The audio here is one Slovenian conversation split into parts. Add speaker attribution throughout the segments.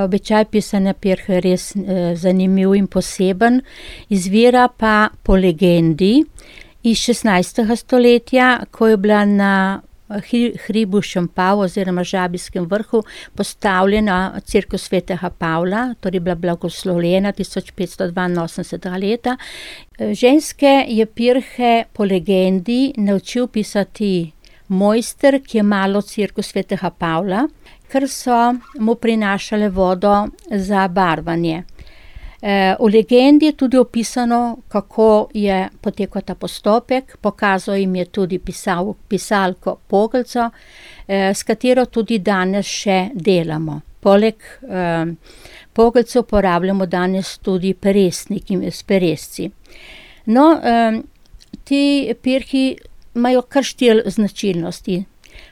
Speaker 1: običaj pisanja pirhe je res zanimiv in poseben, izvira pa po legendi iz 16. stoletja, ko je bila na hribu Šempav oziroma Žabijskem vrhu postavljena cerkev svetega Pavla, torej bila blagoslovljena 1582. leta. Ženske je pirhe po legendi naučil pisati mojster, ki je malo cerkev svetega Pavla, ker so mu prinašale vodo za barvanje. V legendi je tudi opisano, kako je potekal ta postopek, pokazal jim je tudi pisalko Pogelco, s katero tudi danes še delamo. Poleg Pogelcev uporabljamo danes tudi peresniki s peresci. No, ti pirhi imajo kar 4 značilnosti.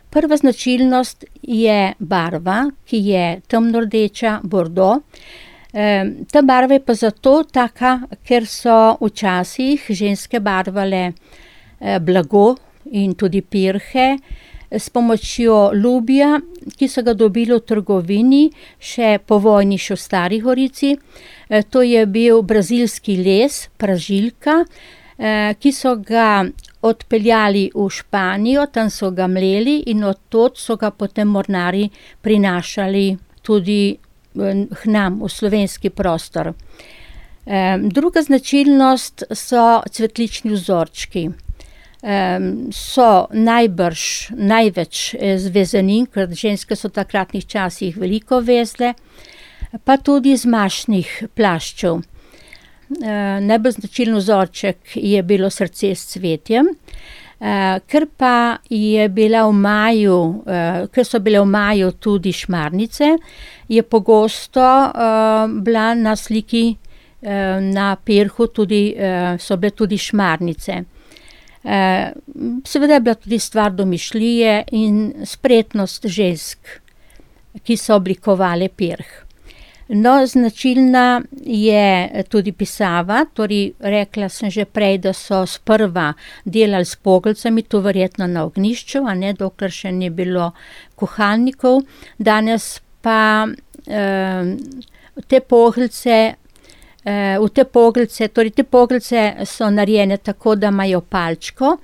Speaker 1: Prva značilnost je barva, ki je temno rdeča, bordo. Ta barva je pa zato taka, ker so včasih ženske barvale blago in tudi pirhe s pomočjo lubja, ki so ga dobili v trgovini še po vojni še v Stari Gorici. To je bil brazilski les, pražilka, ki so ga odpeljali v Španijo, tam so ga mleli in od tod so ga potem mornarji prinašali tudi k nam v slovenski prostor. Druga značilnost so cvetlični vzorčki. So največ z vezenin, ker ženske so v takratnih časih veliko vezle, pa tudi iz mašnih plaščev. Najbolj značilen vzorček je bilo srce s cvetjem, ker so bile v maju tudi šmarnice, je pogosto bila na sliki na pirhu so bile tudi šmarnice. Seveda je bila tudi stvar domišljije in spretnost žensk, ki so oblikovale pirh. No, značilna je tudi pisava, torej rekla sem že prej, da so sprva delali s pogelcami, to verjetno na ognjišču, dokler še ni bilo kuhalnikov. Danes pa te pogelce, te pogelce so narejene tako, da imajo palčko,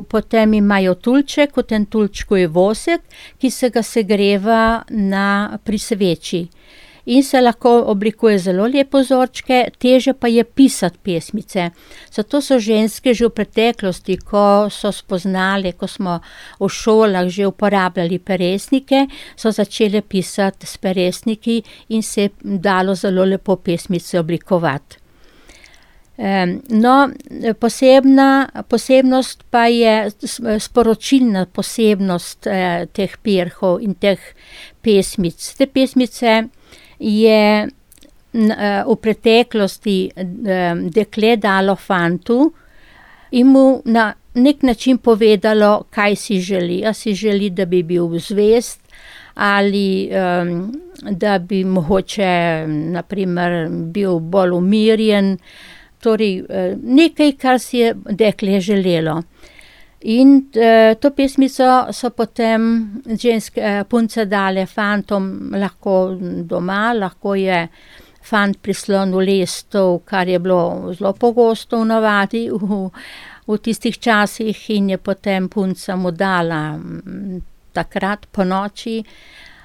Speaker 1: potem imajo tulček, v tem tulčku je vosek, ki se ga segreva pri sveči. In se lahko oblikuje zelo lepo vzorčke, težje pa je pisati pesmice. Zato so ženske že v preteklosti, ko so spoznali, ko smo v šolah že uporabljali peresnike, so začele pisati s peresniki in se je dalo zelo lepo pesmice oblikovati. No, posebnost pa je sporočilna posebnost teh pirhov in teh pesmic. Te pesmice je v preteklosti dekle dalo fantu in mu na nek način povedalo, kaj si želi. A si želi, da bi bil zvest ali da bi mogoče na primer bil bolj umirjen. Torej nekaj, kar si je dekle želelo. In to pesmico so potem punce dale fantom lahko doma, lahko je fant prislonil lestev, kar je bilo zelo pogosto v navadi v tistih časih, in je potem punca mu dala takrat po noči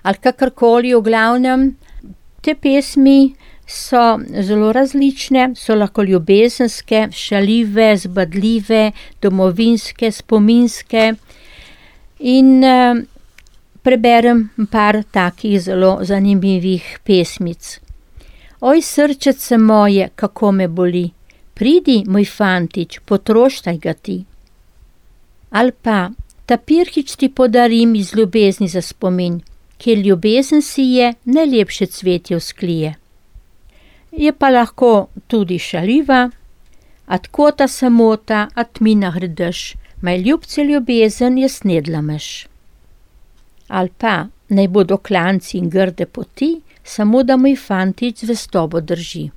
Speaker 1: ali kakorkoli. V glavnem, te pesmi so zelo različne, so lahko ljubezenske, šaljive, zbadljive, domovinske, spominske in preberem par takih zelo zanimivih pesmic. Oj, srčece moje, kako me boli, pridi, moj fantič, potroštaj ga ti. Ali pa, ta pirhič ti podarim iz ljubezni za spomin, kjer ljubezen si je, najlepše cvetje vzklije. Je pa lahko tudi šaljiva, a tko ta samota, a tmina hrdež, maj ljubce ljubezen je snedla meš. Ali pa, naj bodo klanci in grde poti, samo da moj fantič zvestobo drži.